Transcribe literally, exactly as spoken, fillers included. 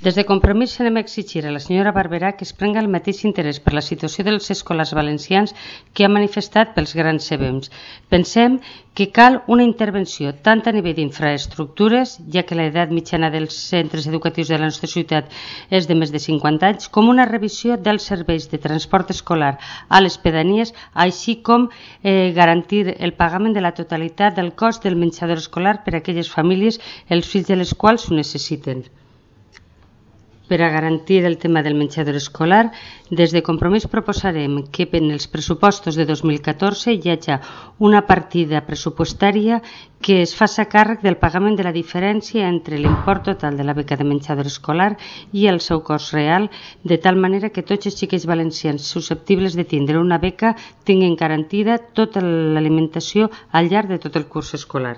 Des de Compromís anem a exigir a la senyora Barberà que es prenga el mateix interès per la situació dels escolars valencians que ha manifestat pels grans C B Ms. Pensem que cal una intervenció tant a nivell d'infraestructures, ja que l'edat mitjana dels centres educatius de la nostra ciutat és de més de cinquanta anys, com una revisió dels serveis de transport escolar a les pedanies, així com eh, garantir el pagament de la totalitat del cost del menjador escolar per a aquelles famílies, els fills de les quals ho necessiten. Per a garantir el tema del menjador escolar, des de Compromís proposarem que en els pressupostos de dos mil catorze hi hagi una partida pressupostària que es faci càrrec del pagament de la diferència entre l'import total de la beca de menjador escolar i el seu cost real, de tal manera que tots els xiquets valencians susceptibles de tindre una beca tinguin garantida tota l'alimentació al llarg de tot el curs escolar.